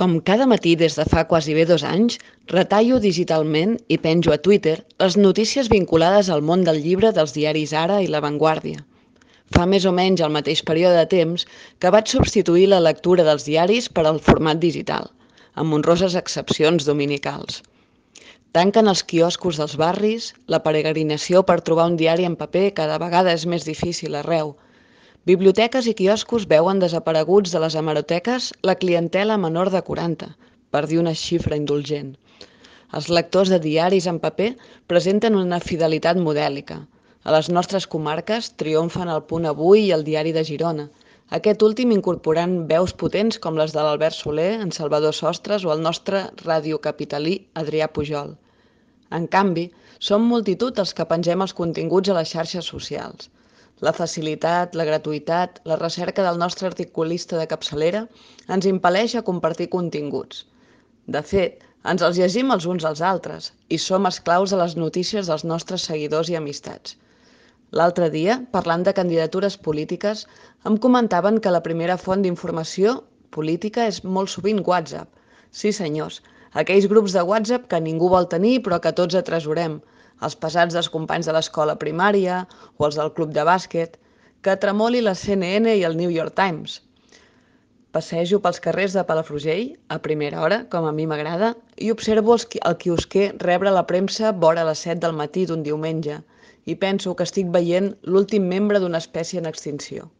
Com cada matí des de fa quasi bé 2 anys, retallo digitalment i penjo a Twitter les notícies vinculades al món del llibre dels diaris Ara i La Vanguardia. Fa més o menys el mateix període de temps que vaig substituir la lectura dels diaris per al format digital, amb honroses excepcions dominicals. Tanquen els quioscos dels barris, la peregrinació per trobar un diari en paper cada vegada és més difícil arreu. Biblioteques i quioscos veuen desapareguts de les hemeroteques la clientela menor de 40, per dir una xifra indulgent. Els lectors de diaris en paper presenten una fidelitat modèlica. A les nostres comarques triomfen el Punt Avui i el Diari de Girona, aquest últim incorporant veus potents com les de l'Albert Soler, en Salvador Sostres o el nostre radiocapitalí Adrià Pujol. En canvi, som multitud els que pengem els continguts a les xarxes socials. La facilitat, la gratuïtat, la recerca del nostre articulista de capçalera ens impel·leix a compartir continguts. De fet, ens els llegim els uns als altres i som esclaus de les notícies dels nostres seguidors i amistats. L'altre dia, parlant de candidatures polítiques, em comentaven que la primera font d'informació política és molt sovint WhatsApp. Sí, senyors, aquells grups de WhatsApp que ningú vol tenir però que tots atresorem, els pesats dels companys de l'escola primària o els del club de bàsquet, que tremoli la CNN i el New York Times. Passejo pels carrers de Palafrugell, a primera hora, com a mi m'agrada, i observo el quiosquer rebre la premsa vora les 7 del matí d'un diumenge, i penso que estic veient l'últim membre d'una espècie en extinció.